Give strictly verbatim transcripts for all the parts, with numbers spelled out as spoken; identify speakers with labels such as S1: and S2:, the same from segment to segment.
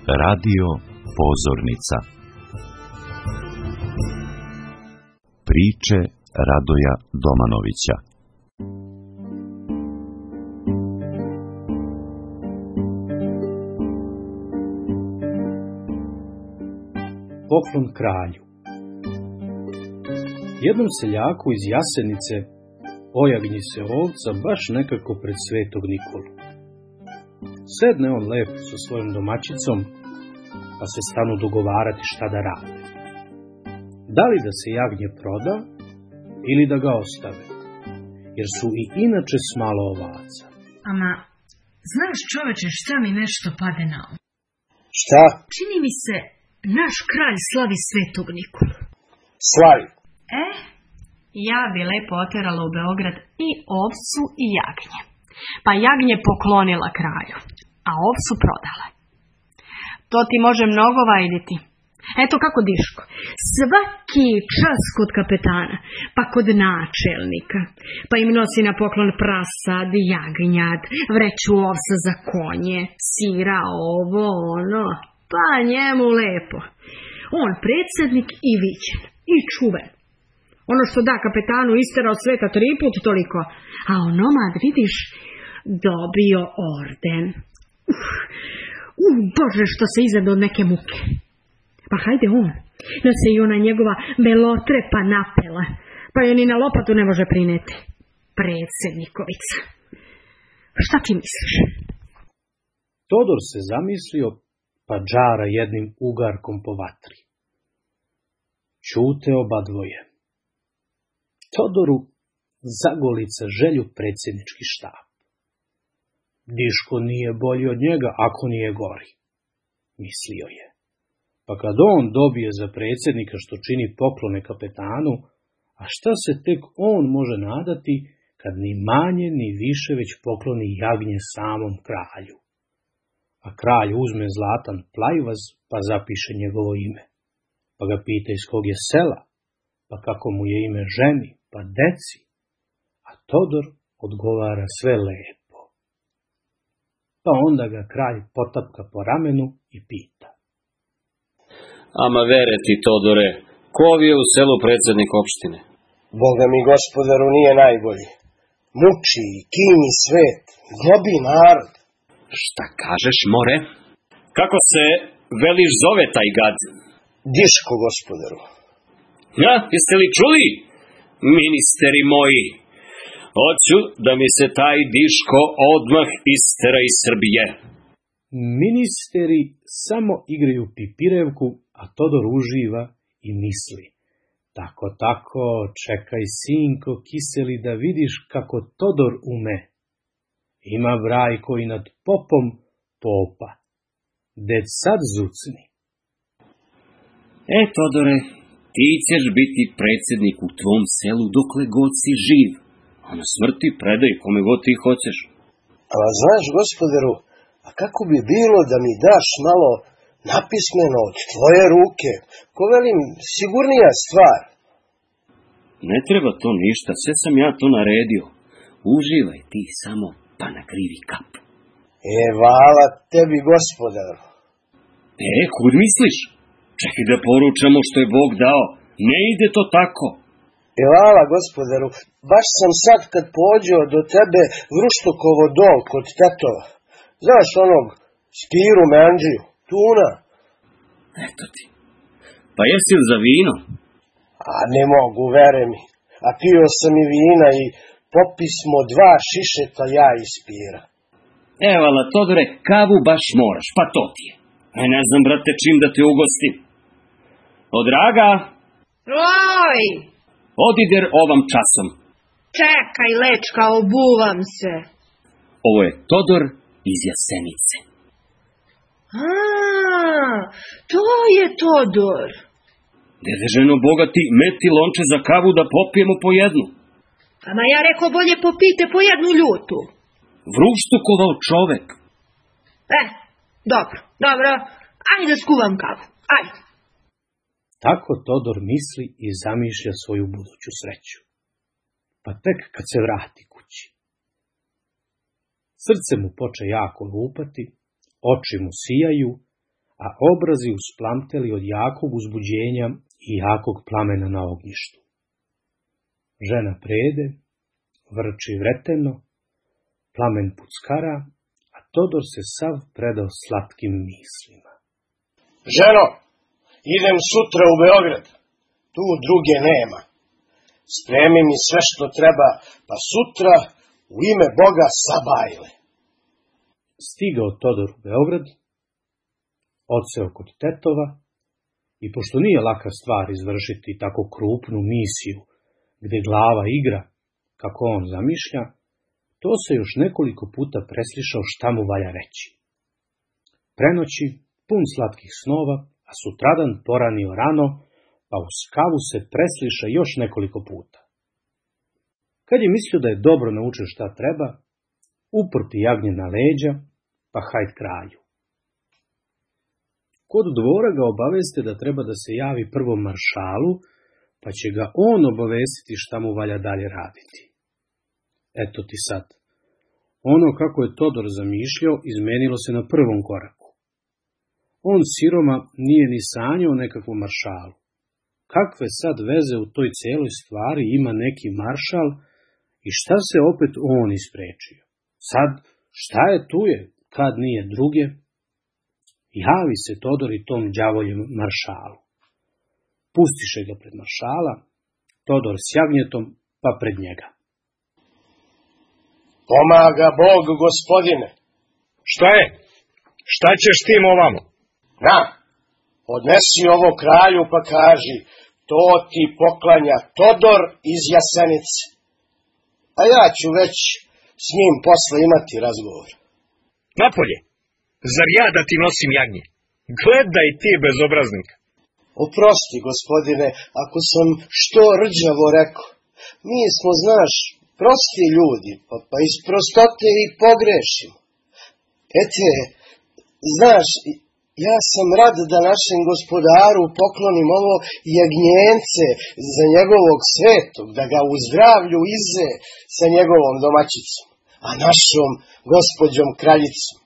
S1: Radio Pozornica. Priče Radoja Domanovića.
S2: Poklon kralju. Jednom seljaku iz Jasenice pojavi se ovca baš nekako pred Svetog Nikolu. Sedne on lepo sa svojom domaćicom, pa se stanu dogovarati šta da rade. Da li da se jagnje proda ili da ga ostave, jer su i inače smalo ovaca.
S3: Ama, znaš čoveče šta mi nešto pade na um?
S4: Šta?
S3: Čini mi se, naš kralj slavi Svetog Nikolu.
S4: Slavi.
S3: E, ja bi lepo oterala u Beograd i ovcu i jagnje. Pa jagnje poklonila kralju, a ovcu prodala. To ti može mnogo vajditi. Eto kako Diško, svaki čas kod kapetana, pa kod načelnika, pa im nosi na poklon prasad, jagnjad, vreću ovsa za konje, sira, ovo, ono, pa njemu lepo. On predsjednik i viđen, i čuven. Ono što da kapetanu istera od sveta tri put toliko, a onomad, vidiš, dobio orden. Uf, uh, Bože, što se izade od neke muke. Pa hajde on, da se i ona njegova belotrepa napela, pa je ni na lopatu ne može prineti. Predsjednikovica. Šta ti misliš?
S2: Todor se zamislio, pa džara jednim ugarkom po vatri. Ćute oba dvoje. Todoru zagolica želju predsjednički štab. Diško nije bolji od njega, ako nije gori, mislio je. Pa kad on dobije za predsjednika što čini poklone kapetanu, a šta se tek on može nadati kad ni manje ni više već pokloni jagnje samom kralju. A kralj uzme zlatan plajvaz pa zapiše njegovo ime. Pa ga pita iz kog je sela, pa kako mu je ime ženi, pa deci. A Todor odgovara sve lepo. Pa onda ga kralj potapka po ramenu i pita.
S5: Ama vere ti, Todore, ko je u selu predsjednik opštine?
S4: Boga mi, gospodaru, nije najbolji. Muči i kimi svet, globi narod.
S5: Šta kažeš, more? Kako se veliš zove taj gad?
S4: Diško, gospodaru.
S5: Ja, jeste li čuli? Ministeri moji, hoću da mi se taj Diško odmah istera iz Srbije.
S2: Ministeri samo igraju pipirevku, a Todor uživa i misli. Tako, tako, čekaj, sinko kiseli, da vidiš kako Todor ume. Ima brajko i nad popom popa. Dec sad zucni.
S5: E, Todore, ti ćeš biti predsjednik u tvom selu dokle god si živ. A na smrti predaj kome god ti hoćeš.
S4: A znaš, gospodaru, a kako bi bilo da mi daš malo napismeno od tvoje ruke? Ko velim, sigurnija stvar.
S5: Ne treba to ništa, sve sam ja to naredio. Uživaj ti samo, pa nakrivi kap.
S4: E, vala tebi, gospodaru.
S5: E, kud misliš? Čekaj da poručamo što je Bog dao. Ne ide to tako.
S4: E, vala, gospodaru, baš sam sad kad pođeo do tebe Vruštokovo dol kod tetova. Znaš onog Spiru Meandžiju, tuna.
S5: Eto ti. Pa jesi li za vino?
S4: A ne mogu, vere mi. A pio sam i vina i popismo dva šišeta ja i Spira.
S5: Evala, Todore, kavu baš moraš, pa to ti je. A ne znam, brate, čim da te ugostim. O, draga!
S6: Oj!
S5: Odider ovam časom.
S6: Čekaj, lečka, obuvam se.
S5: Ovo je Todor iz Jasenice.
S6: A, to je Todor.
S5: Dede ženo bogati, meti lonče za kavu da popijemo po jednu.
S6: Ama ja rekao bolje popite po jednu ljutu.
S5: Vruštukovao čovek.
S6: E, dobro, dobro, ajde da skuvam kavu, ajde.
S2: Tako Todor misli i zamišlja svoju buduću sreću. Pa tek kad se vrati kući. Srce mu poče jako lupati, oči mu sijaju, a obrazi usplamteli od jakog uzbuđenja i jakog plamena na ognjištu. Žena prede, vrči vreteno, plamen puckara, a Todor se sav predao slatkim mislima.
S4: Ženo, idem sutra u Beograd, tu druge nema. Spremi mi sve što treba, pa sutra u ime Boga sabajle.
S2: Stigao Todor u Beograd, odseo kod tetova, i pošto nije laka stvar izvršiti tako krupnu misiju, gde glava igra, kako on zamišlja, to se još nekoliko puta preslišao šta mu valja reći. Prenoći, pun slatkih snova, a sutradan poranio rano, pa u skavu se presliša još nekoliko puta. Kad je mislio da je dobro naučio šta treba, uprti jagnje na leđa, pa hajt kralju. Kod dvora ga obaveste da treba da se javi prvom maršalu, pa će ga on obavestiti šta mu valja dalje raditi. Eto ti sad. Ono kako je Todor zamišljao, izmenilo se na prvom koraku. On siroma nije ni sanjao o nekakvom maršalu. Kakve sad veze u toj celoj stvari ima neki maršal i šta se opet on isprečio? Sad, šta je tu je, kad nije druge? Javi se Todor i tom đavoljem maršalu. Pustiše ga pred maršala, Todor s jagnjetom, pa pred njega.
S4: Pomaga Bog, gospodine.
S7: Šta je? Šta ćeš tim ovamo?
S4: Na, odnesi ovo kralju pa kaži, to ti poklanja Todor iz Jasenice. A ja ću već s njim posle imati razgovor.
S7: Napolje, zar ja da ti nosim jagnje? Gledaj ti, bezobraznik.
S4: Oprosti, gospodine, ako sam što rđavo rekao. Mi smo, znaš, prosti ljudi, pa, pa iz prostote i pogrešimo. Ete, znaš, ja sam rad da našem gospodaru poklonim ovo jagnjence za njegovog svetog, da ga u zdravlju ize sa njegovom domaćicom, a našom gospođom kraljicom.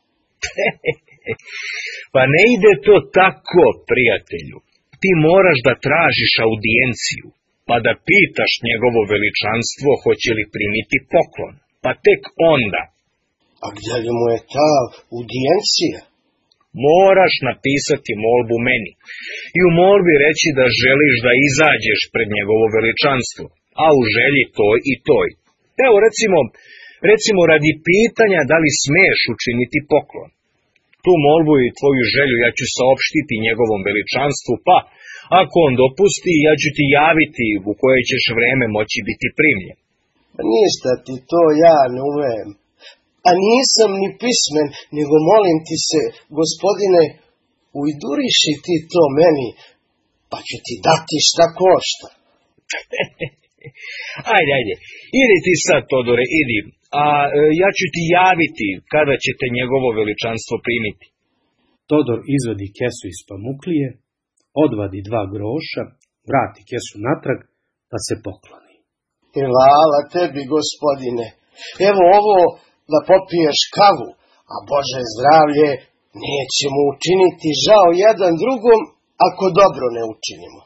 S7: Pa ne ide to tako, prijatelju. Ti moraš da tražiš audijenciju, pa da pitaš njegovo veličanstvo hoće li primiti poklon, pa tek onda.
S4: A gdje li mu je ta audijencija?
S7: Moraš napisati molbu meni i u molbi reći da želiš da izađeš pred njegovo veličanstvo, a u želji toj i toj. Evo recimo, recimo radi pitanja da li smeš učiniti poklon. Tu molbu i tvoju želju ja ću saopštiti njegovom veličanstvu, pa ako on dopusti, ja ću ti javiti u koje ćeš vreme moći biti primljen.
S4: Ništa ti to ja ne umem. A nisam ni pismen, nego molim ti se, gospodine, ujduriši ti to meni, pa ću ti dati šta košta.
S7: Ajde, ajde, idi ti sad, Todore, idi, a e, ja ću ti javiti kada ćete njegovo veličanstvo primiti.
S2: Todor izvadi kesu iz pamuklije, odvadi dva groša, vrati kesu natrag, pa se pokloni.
S4: Hvala tebi, gospodine, evo ovo da popiješ kavu, a Bože zdravlje neće mu učiniti žao jedan drugom ako dobro ne učinimo.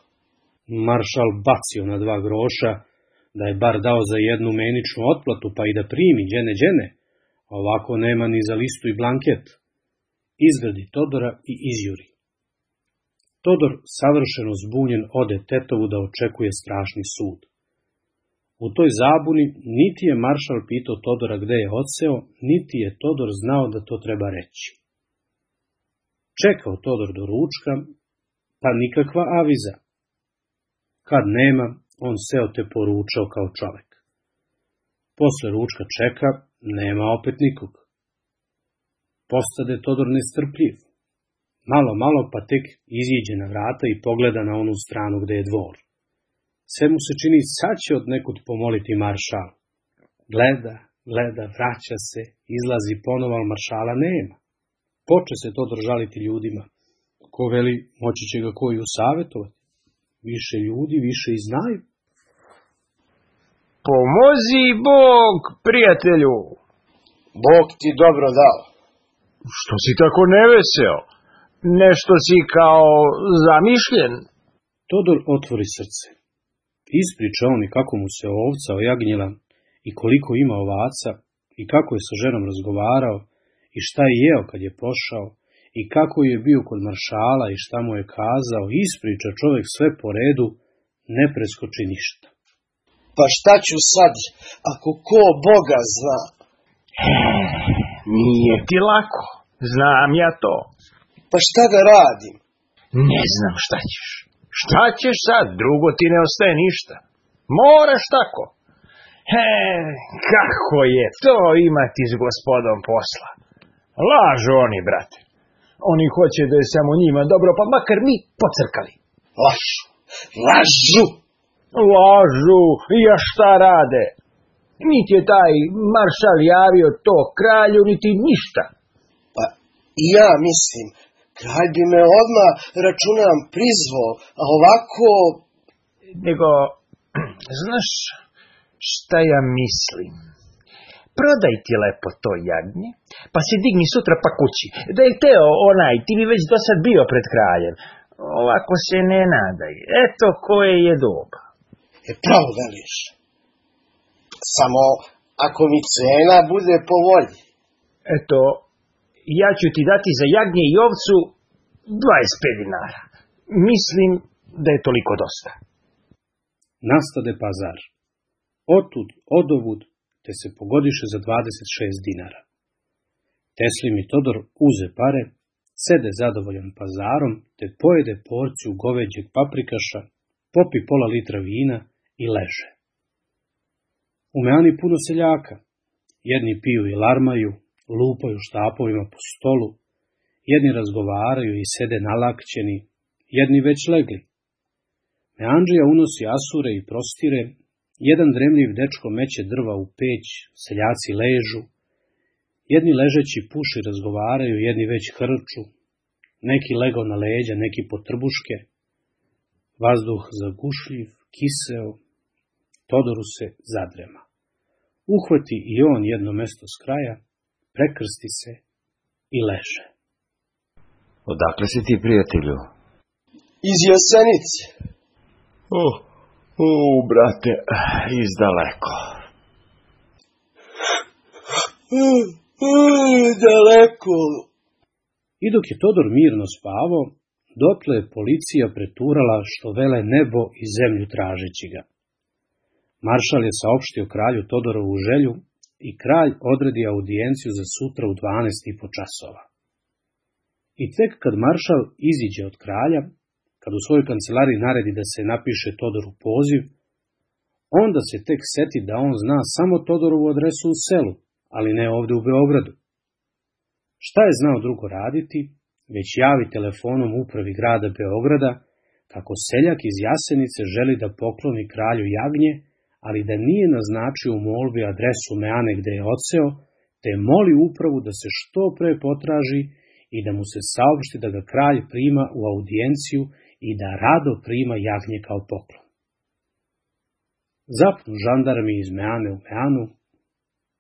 S2: Maršal bacio na dva groša, da je bar dao za jednu meničnu otplatu, pa i da primi, đene, đene, ovako nema ni za listu i blanket. Izgradi Todora i izjuri. Todor, savršeno zbunjen, ode tetovu da očekuje strašni sud. U toj zabuni niti je maršal pitao Todora gde je odseo, niti je Todor znao da to treba reći. Čekao Todor do ručka, pa nikakva aviza. Kad nema, on seo te poručao kao čovek. Posle ručka čeka, nema opet nikog. Postade Todor nestrpljiv. Malo, malo pa tek iziđe na vrata i pogleda na onu stranu gde je dvor. Sve mu se čini sad će od nekud pomoliti maršal. Gleda, gleda, vraća se, izlazi ponovo, ali maršala nema. Poče se Todor žaliti ljudima. Ko veli, moći će ga koji usavjetovati. Više ljudi, više i znaju.
S8: Pomozi Bog, prijatelju.
S4: Bog ti dobro dao.
S8: Što si tako neveseo? nešto si kao zamišljen.
S2: Todor otvori srce. Ispriča on i kako mu se ovca ojagnjila i koliko ima ovaca i kako je sa ženom razgovarao i šta je jeo kad je pošao i kako je bio kod maršala i šta mu je kazao. Ispriča čovjek sve po redu, ne preskoči ništa.
S4: Pa šta ću sad, ako ko Boga zna?
S8: Nije ti lako, znam ja to.
S4: Pa šta da radim?
S8: Ne znam šta ćeš. Šta ćeš sad, drugo ti ne ostaje ništa. Moraš tako. He, kako je to imati s gospodom posla. Lažu oni, brate. Oni hoće da je samo njima dobro, pa makar mi pocrkali.
S4: Lažu, lažu.
S8: Lažu, ja šta rade? Niti je taj maršal javio to kralju, niti ništa.
S4: Pa i ja mislim, kralj bi me odmah, računam, prizvao, a ovako...
S8: Nego, znaš šta ja mislim? Prodaj ti lepo to jagnje, pa se digni sutra pa kući. Da je teo onaj, ti bi već do sad bio pred kraljem. Ovako se ne nadaj. Eto koje je doba.
S4: E pravo veliš. Samo ako mi cena bude po volji.
S8: Eto, ja ću ti dati za jagnje i ovcu dvadeset pet dinara. Mislim da je toliko dosta.
S2: Nastade pazar. Otud, odovud, te se pogodiše za dvadeset šest dinara. Teslim i Todor uze pare, sede zadovoljan pazarom, te pojede porciju goveđeg paprikaša, popi pola litra vina i leže. U meani puno seljaka. Jedni piju i larmaju, lupaju štapovima po stolu, jedni razgovaraju i sede nalakćeni, jedni već legli. Meandžija unosi asure i prostire, jedan dremljiv dečko meće drva u peć, seljaci ležu, jedni ležeći puši razgovaraju, jedni već hrču, neki lego na leđa, neki po trbuške, vazduh zagušljiv, kiseo, Todoru se zadrema. Uhvati i on jedno mesto s kraja, prekrsti se i leže.
S1: Odakle si ti, prijatelju?
S4: Iz Jasenice.
S8: O, o, brate, izdaleko.
S4: Daleko.
S2: I dok je Todor mirno spavao, dotle je policija preturala što vele nebo i zemlju tražeći ga. Maršal je saopštio kralju Todorovu želju i kralj odredi audijenciju za sutra u dvanaest i po časova. I tek kad maršal iziđe od kralja, kad u svojoj kancelariji naredi da se napiše Todoru poziv, onda se tek seti da on zna samo Todorovu adresu u selu, ali ne ovde u Beogradu. Šta je znao drugo raditi, već javi telefonom upravi grada Beograda kako seljak iz Jasenice želi da pokloni kralju jagnje, ali da nije naznačio u molbi adresu meane gde je odseo, te moli upravu da se što pre potraži i da mu se saopšti da ga kralj prima u audijenciju i da rado prima jagnje kao poklon. Zapnu žandarmi iz meane u meanu,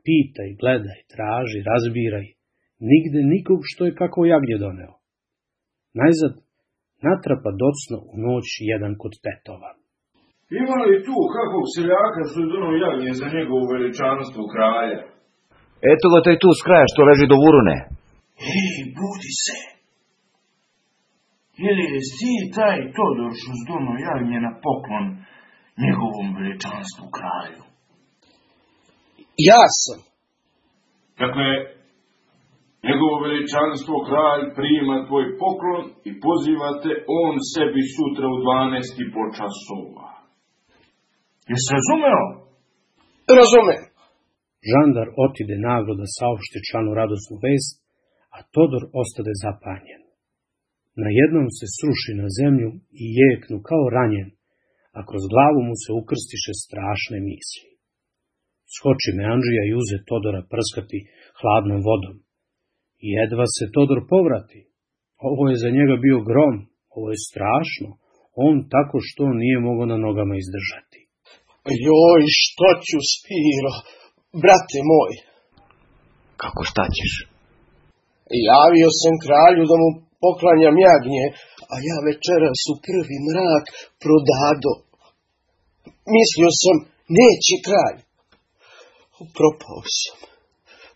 S2: pitaj, gledaj, traži, razbiraj, nigde nikog što je kako jagnje doneo. Najzad natrapa docno u noć jedan kod tetova.
S9: Ima li tu kakvog seljaka što je donao jagnje za njegovu veličanstvo kralja?
S1: Eto ga taj tu s kraja što leži do vurune.
S9: Ej, budi se! Je li si taj Todor što je donao jagnje na poklon njegovom veličanstvu kralju?
S4: Ja sam.
S9: Dakle, njegovo veličanstvo kralj prima tvoj poklon i pozivate on sebi sutra u dvanaest i po časova. Jesi razumeo?
S4: Razumem.
S2: Žandar otide naglo da saopšti članu radosnu vest, a Todor ostade zapanjen. Najednom se sruši na zemlju i jeknu kao ranjen, a kroz glavu mu se ukrstiše strašne misli. Skoči Meandžija i uze Todora prskati hladnom vodom. Jedva se Todor povrati. Ovo je za njega bio grom, ovo je strašno. On tako što nije mogao na nogama izdržati.
S4: Joj, što ću, Spiro, brate moj.
S1: Kako šta ćeš?
S4: Javio sam kralju da mu poklanjam jagnje, a ja večeras u prvi mrak prodado. Mislio sam, neće kralj. Propao sam.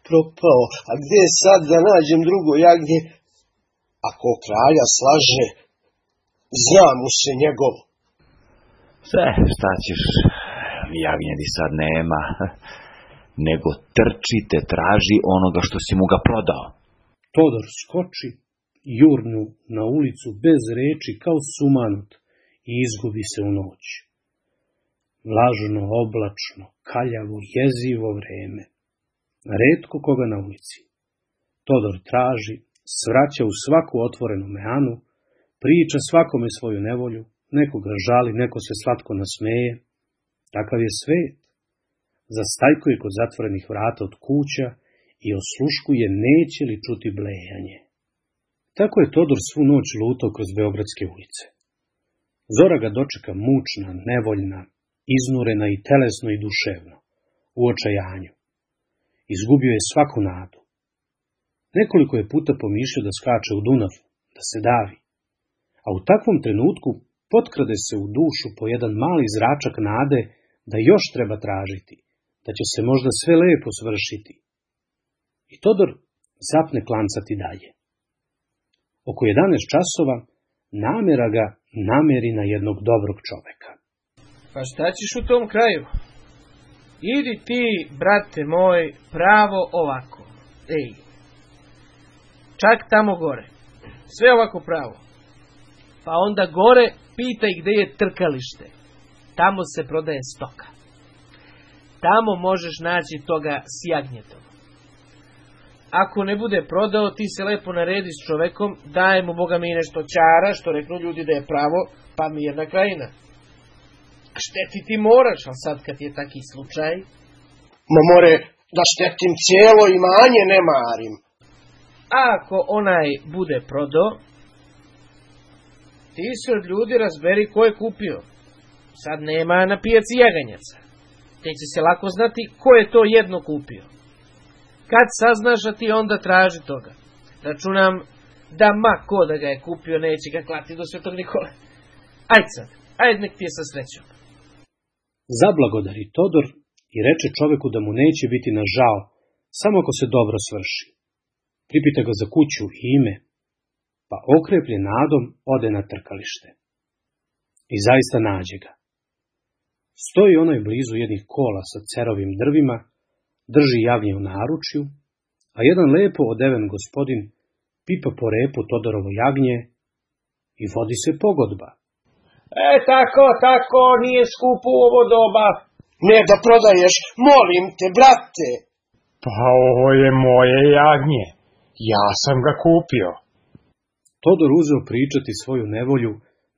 S4: Propao. A gdje sad da nađem drugo jagnje? Ako kralja slaže, zna mu se njegovo.
S1: Sve, šta ćeš, jagnjedi sad nema, nego trčite, traži onoga što si mu ga prodao.
S2: Todor skoči, jurnu na ulicu bez reči kao sumanut i izgubi se u noć. Vlažno, oblačno, kaljavo, jezivo vreme. Retko koga na ulici. Todor traži, svraća u svaku otvorenu meanu, priča svakome svoju nevolju, nekoga žali, neko se slatko nasmeje. Takav je svet. Zastajkuje kod zatvorenih vrata od kuća i osluškuje neće li čuti blejanje. Tako je Todor svu noć lutao kroz beogradske ulice. Zora ga dočeka mučna, nevoljna, iznurena i telesno i duševno, u očajanju. Izgubio je svaku nadu. Nekoliko je puta pomišljao da skače u Dunav, da se davi. A u takvom trenutku potkrade se u dušu po jedan mali zračak nade da još treba tražiti, da će se možda sve lepo svršiti. I Todor zapne klancati dalje. Oko jedanaest časova namera ga nameri na jednog dobrog čoveka.
S10: Pa šta ćeš u tom kraju? Idi ti, brate moj, pravo ovako. Ej, čak tamo gore. Sve ovako pravo. Pa onda gore pitaj gde je trkalište. Tamo se prodaje stoka. Tamo možeš naći toga s jagnjetom. Ako ne bude prodao, ti se lepo naredi s čovekom, daj mu Boga mi nešto ćara, što reknu ljudi da je pravo, pa mirna krajina. Šteti ti moraš, ali sad kad je taki slučaj...
S4: Ma more, da štetim cijelo imanje ne marim.
S10: A ako onaj bude prodao, ti se od ljudi razberi ko je kupio. Sad nema na pijaci jaganjaca. Te će se lako znati ko je to jedno kupio. Kad saznaš, a ti onda traži toga. Računam da ma ko da ga je kupio neće ga klati do Svetog Nikole. Ajde sad, ajde nek ti je sa srećom.
S2: Zablagodari Todor i reče čoveku da mu neće biti na žao, samo ako se dobro svrši. Pripita ga za kuću i ime, pa okreplje nadom ode na trkalište. I zaista nađe ga. Stoji onaj blizu jednih kola sa cerovim drvima, drži jagnje u naručju, a jedan lepo odeven gospodin pipa po repu Todorovo jagnje i vodi se pogodba.
S8: E, tako, tako, nije skupo u ovo doba.
S4: Ne da prodaješ, molim te, brate.
S8: Pa ovo je moje jagnje. Ja sam ga kupio.
S2: Todor uzeo pričati svoju nevolju,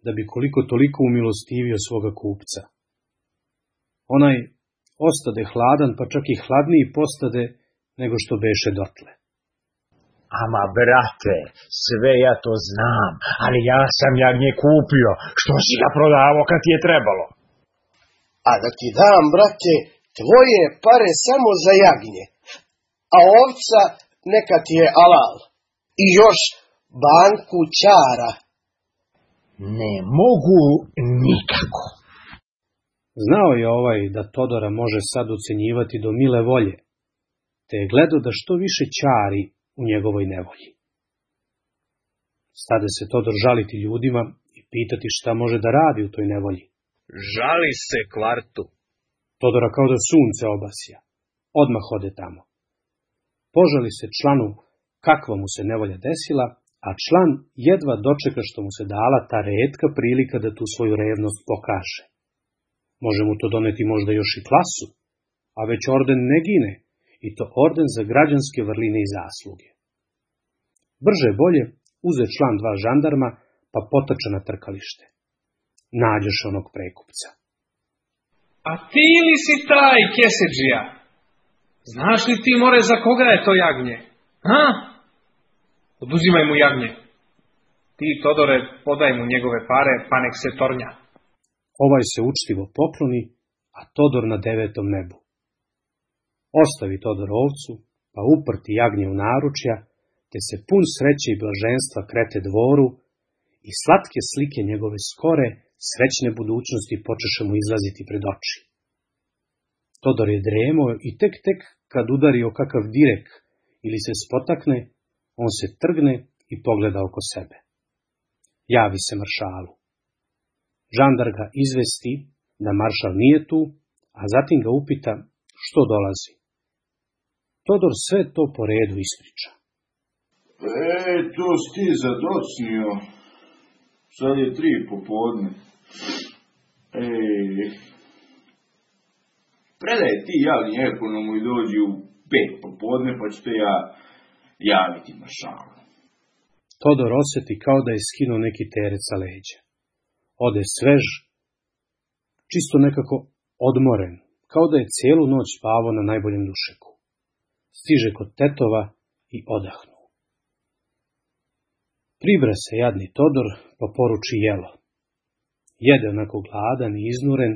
S2: da bi koliko toliko umilostivio svoga kupca. Onaj ostade hladan, pa čak i hladniji postade nego što beše dotle.
S8: Ama, brate, sve ja to znam, ali ja sam jagnje kupio, što si ga prodavao kad ti je trebalo.
S4: A da ti dam, brate, tvoje pare samo za jagnje, a ovca neka ti je alal. I još banku ćara.
S8: Ne mogu nikako.
S2: Znao je ovaj da Todora može sad ucenjivati do mile volje, te je gledao da što više ćari u njegovoj nevolji. Stade se Todor žaliti ljudima i pitati šta može da radi u toj nevolji.
S7: Žali se kvartu.
S2: Todora kao da sunce obasja. Odmah ode tamo. Požali se članu kakva mu se nevolja desila, a član jedva dočeka što mu se dala ta retka prilika da tu svoju revnost pokaže. Može mu to doneti možda još i klasu, a već orden ne gine, i to orden za građanske vrline i zasluge. Brže bolje uze član dva žandarma, pa potača na trkalište. Nađeš onog prekupca.
S11: A ti li si taj kesedžija? Znaš li ti, more, za koga je to jagnje? Ha? Oduzimaj mu jagnje. Ti, Todore, podaj mu njegove pare, pa nek se tornja.
S2: Ovaj se učtivo pokloni, a Todor na devetom nebu. Ostavi Todor ovcu, pa uprti jagnje u naručja, te se pun sreće i blaženstva Krete dvoru i slatke slike njegove skore, srećne budućnosti počeše mu izlaziti pred oči. Todor je dremao i tek tek kad udari o kakav direk ili se spotakne, on se trgne i pogleda oko sebe. Javi se maršalu. Žandar ga izvesti da maršal nije tu, a zatim ga upita što dolazi. Todor sve to po redu ispriča.
S9: E, to si ti zadocnio. Sad je tri popodne. Ej, predaj ti javni ekonomu i dođi u pet popodne, pa ću te ja javiti maršalu.
S2: Todor osjeti kao da je skinuo neki teret sa leđa. Ode svež, čisto nekako odmoren, kao da je cijelu noć spavao na najboljem dušeku. Stiže kod tetova i odahnu. Pribra se jadni Todor, pa poruči jelo. Jede onako gladan i iznuren,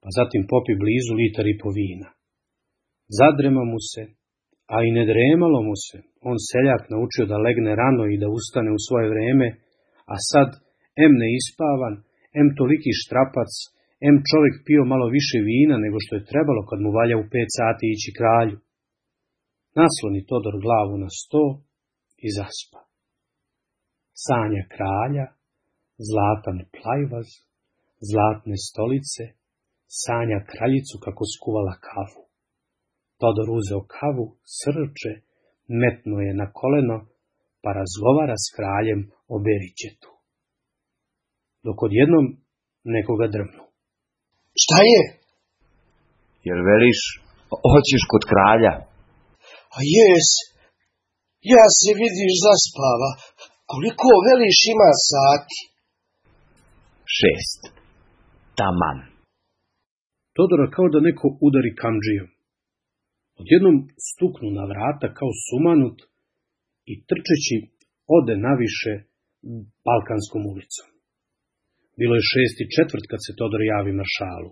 S2: pa zatim popi blizu litar i po vina. Zadrema mu se, a i ne dremalo mu se, on seljak naučio da legne rano i da ustane u svoje vreme, a sad, em neispavan, em toliki štrapac, em čovjek pio malo više vina nego što je trebalo kad mu valja u pet sati ići kralju. Nasloni Todor glavu na sto i zaspa. Sanja kralja, zlatan plajvaz, zlatne stolice, sanja kraljicu kako skuvala kavu. Todor uzeo kavu, srče, metnuo je na koleno, pa razgovara s kraljem o Beričetu. Dok odjednom nekoga drvnu.
S4: Šta je?
S1: Jer veliš, hoćeš kod kralja?
S4: A jes, ja se vidiš zaspava. Koliko veliš ima sati?
S1: Šest. Taman.
S2: Todora kao da neko udari kamdžijom. Odjednom stuknu na vrata kao sumanut i trčeći ode naviše Balkanskom ulicom. Bilo je šest i četvrt kad se Todor javi maršalu.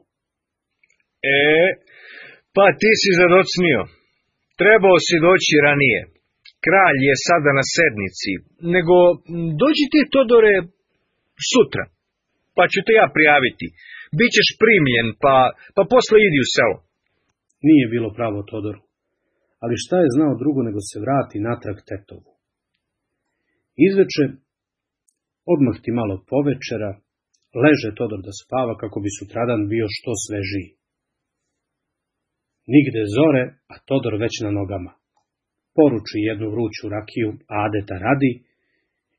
S7: E, pa ti si zadocnio. Trebao si doći ranije. Kralj je sada na sednici, nego dođi ti, Todore, sutra, pa ću te ja prijaviti. Bićeš primljen, pa, pa posle idi u selo.
S2: Nije bilo pravo Todoru, ali šta je znao drugo nego se vrati natrag tetovu. Izveče, odmah ti malo povečera, leže Todor da spava kako bi sutradan bio što svežiji. Nigde zore, a Todor već na nogama. Poruči jednu vruću rakiju adeta radi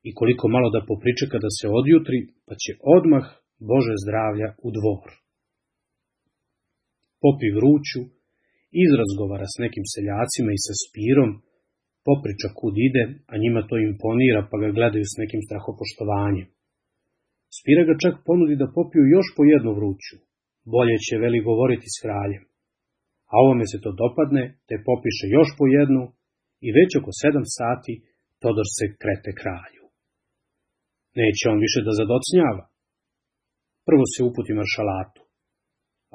S2: i koliko malo da popričeka da se odjutri, pa će odmah, Bože zdravlja, u dvor. Popi vruću, izrazgovara s nekim seljacima i sa Spirom, popriča kud ide, a njima to imponira pa ga gledaju s nekim strahopoštovanjem. Spira ga čak ponudi da popiju još po jednu vruću, bolje će veli govoriti s kraljem. A ovome se to dopadne, te popiše još po jednu i već oko sedam sati Todor se krete kralju. Neće on više da zadocnjava. Prvo se uputi maršalatu,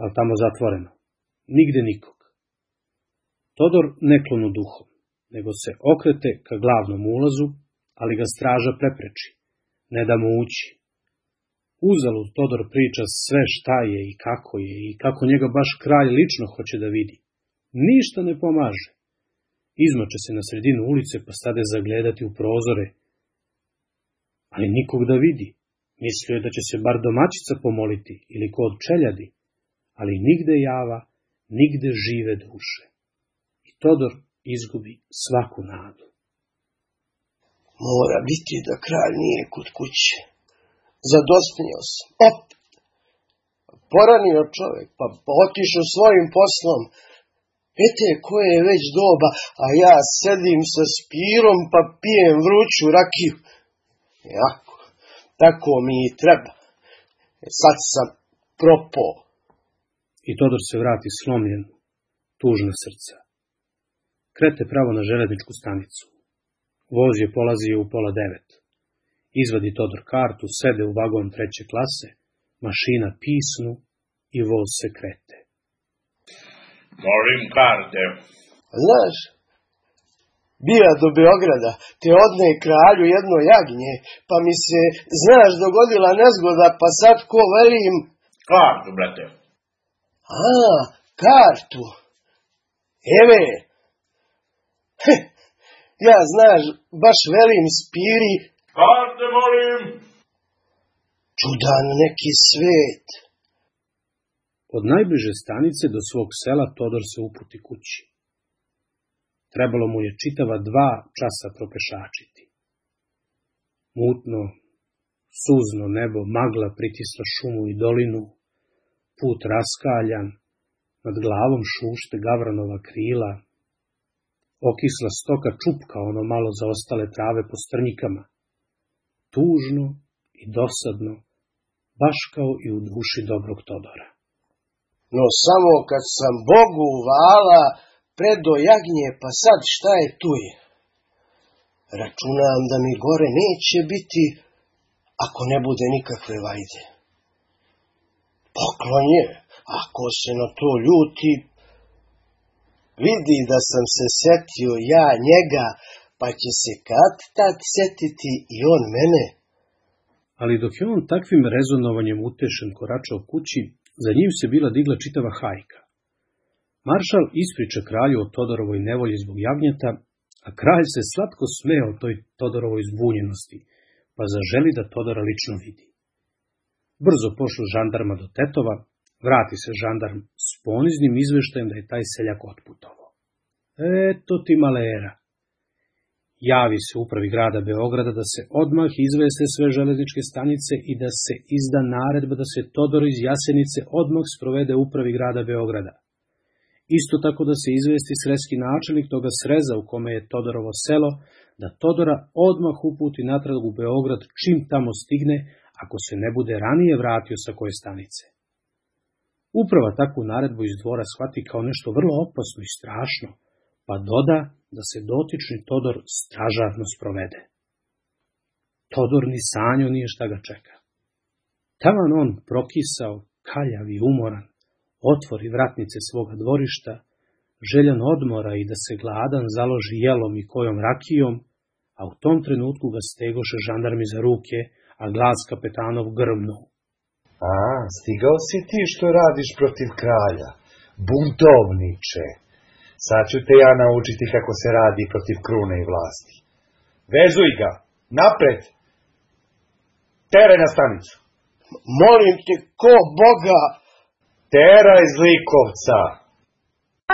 S2: ali tamo zatvoreno, nigde nikog. Todor ne klonu duhom, nego se okrete ka glavnom ulazu, ali ga straža prepreči, ne da mu ući. Uzalud Todor priča sve šta je i kako je i kako njega baš kralj lično hoće da vidi. Ništa ne pomaže. Izmače se na sredinu ulice pa stade zagledati u prozore, ali nikog da vidi. Mislio je da će se bar domaćica pomoliti ili ko od čeljadi, ali nigde java, nigde žive duše. I Todor izgubi svaku nadu.
S4: Mora biti da kralj nije kod kuće. Zadosnio sam. Opet. Poranio čovjek, pa otišao svojim poslom. Ete, koje je već doba, a ja sedim sa Spirom pa pijem vruću rakiju. Jako, tako mi i treba. Sad sam propao.
S2: I Todor se vrati slomljen, tužna srca. Krete pravo na železničku stanicu. Voz je polazio u pola devet. Izvadi Todor kartu, sede u vagon treće klase, mašina pisnu i voz se krete.
S9: Molim karte.
S4: Znaš, bija do Beograda, te odne kralju jedno jagnje, pa mi se, znaš, dogodila nezgoda, pa sad ko velim...
S9: Kartu, brate.
S4: A, kartu. Eve. Heh, ja, znaš, baš velim Spiri...
S9: Karte, molim.
S4: Čudan neki svet.
S2: Od najbliže stanice do svog sela Todor se uputi kući. Trebalo mu je čitava dva časa propešačiti. Mutno, suzno nebo, magla pritisla šumu i dolinu, put raskaljan, nad glavom šušte gavranova krila, okisla stoka čupka ono malo zaostale trave po strnjikama, tužno i dosadno, baš kao i u duši dobrog Todora.
S4: No samo kad sam Bogu uvala predo jagnje, pa sad šta je tu je? Računam da mi gore neće biti, ako ne bude nikakve vajde. Poklon je, ako se na to ljuti, vidi da sam se setio ja njega, pa će se kad tad setiti i on mene.
S2: Ali dok je on takvim rezonovanjem utešen koračao kući, za njim se bila digla čitava hajka. Maršal ispriča kralju o Todorovoj nevolji zbog jagnjeta, a kralj se slatko smeo toj Todorovoj zbunjenosti, pa zaželi da Todora lično vidi. Brzo pošlu žandarma do Tetova, vrati se žandarm s poniznim izveštajem da je taj seljak otputovao. Eto ti malera. Javi se upravi grada Beograda da se odmah izveste sve železničke stanice i da se izda naredba da se Todor iz Jasenice odmah sprovede upravi grada Beograda. Isto tako da se izvesti sreski načelnik toga sreza u kome je Todorovo selo, da Todora odmah uputi natrag u Beograd čim tamo stigne, ako se ne bude ranije vratio sa koje stanice. Uprava takvu naredbu iz dvora shvati kao nešto vrlo opasno i strašno, pa doda da se dotični Todor stražarno sprovede. Todor ni sanjao nije šta ga čeka. Taman on prokisao, kaljav i umoran, otvori vratnice svoga dvorišta, željan odmora i da se gladan založi jelom i kojom rakijom, a u tom trenutku ga stegoše žandarmi za ruke, a glas kapetanov grmnuo.
S8: A, stigao si ti što radiš protiv kralja, buntovniče. Sad ću te ja naučiti kako se radi protiv krune i vlasti. Vezuj ga, napred, teraj na stanicu.
S4: Molim te, ko Boga?
S8: Teraj zlikovca.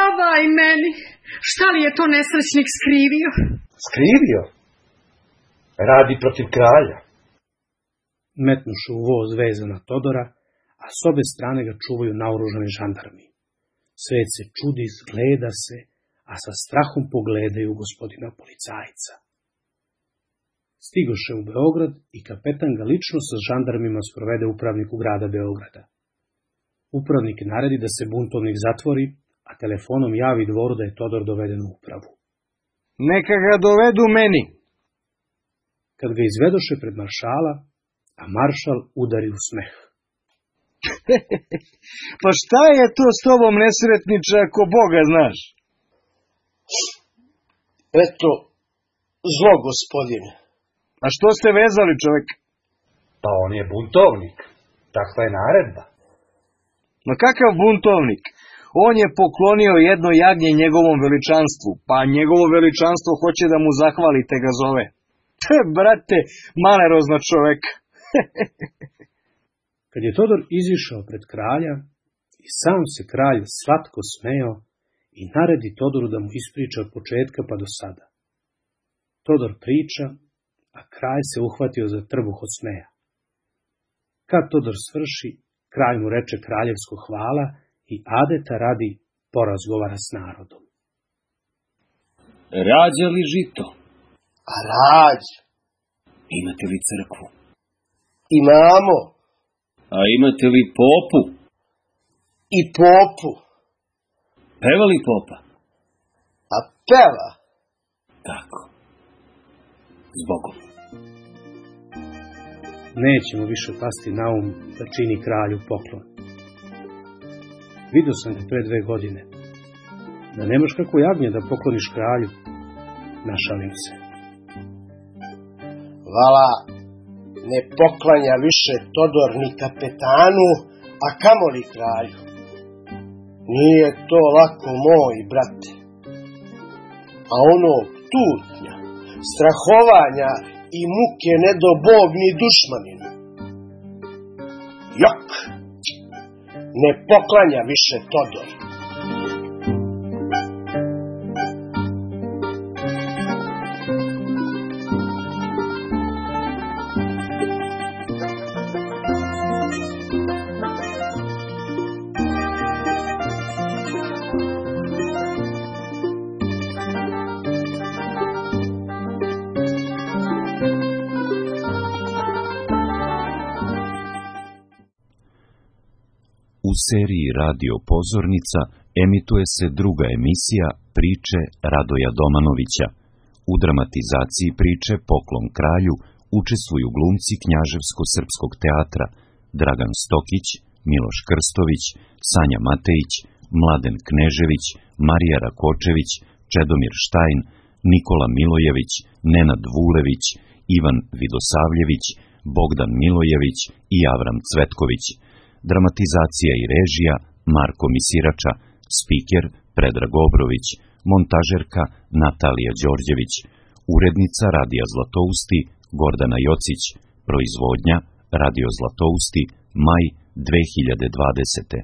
S3: Avaj meni, šta li je to nesrećnik skrivio?
S8: Skrivio? Radi protiv kralja.
S2: Metnuše u voz vezana Todora, a s obe strane ga čuvaju naoružani žandarmi. Svet se čudi, zgleda se, a sa strahom pogledaju gospodina policajca. Stigoše u Beograd i kapetan ga lično sa žandarmima sprovede upravniku grada Beograda. Upravnik naredi da se buntovnik zatvori, a telefonom javi dvoru da je Todor doveden u upravu.
S7: Neka ga dovedu meni.
S2: Kad ga izvedoše pred maršala, a maršal udari u smeh.
S7: Pa šta je to s tobom, nesretniče, ako Boga znaš?
S4: Eto, zlo, gospodine.
S7: A što ste vezali, čovek?
S8: Pa on je buntovnik. Takva je naredba.
S7: Ma kakav buntovnik? On je poklonio jedno jagnje njegovom veličanstvu, pa njegovo veličanstvo hoće da mu zahvalite ga zove. Brate, malerozna čovek.
S2: Kad je Todor izišao pred kralja, i sam se kralj slatko smeo i naredi Todoru da mu ispriča od početka pa do sada. Todor priča, a kralj se uhvatio za trbuh od smeja. Kad Todor svrši, kralj mu reče kraljevsko hvala i adeta radi porazgovara s narodom.
S5: Rađa li žito?
S4: A rađ.
S5: Imate li crkvu?
S4: Imamo.
S5: A imate li popu?
S4: I popu.
S5: Peva li popa?
S4: A peva.
S5: Tako. Zbogom.
S2: Nećemo više pasti na um da čini kralju poklon. Vidio sam ga pre dve godine. Da nemaš kako jagnje da pokloniš kralju. našalim se.
S4: Vala, ne poklanja više Todor ni kapetanu, a kamoli kralju. Nije to lako, moj brate. A ono tutnja, strahovanja i muke ne do Bog ni dušmaninu. Jok, ne poklanja više Todor.
S12: U seriji Radio Pozornica emituje se druga emisija Priče Radoja Domanovića. U dramatizaciji priče Poklon kralju učestvuju glumci Knjaževsko-srpskog teatra Dragan Stokić, Miloš Krstović, Sanja Matejić, Mladen Knežević, Marija Rakočević, Čedomir Štajn, Nikola Milojević, Nenad Vulević, Ivan Vidosavljević, Bogdan Milojević i Avram Cvetković. Dramatizacija i režija Marko Misirača, spiker Predrag Obrović, montažerka Natalija Đorđević, urednica Radija Zlatousti Gordana Jocić, proizvodnja Radio Zlatousti, maj dve hiljade dvadesete.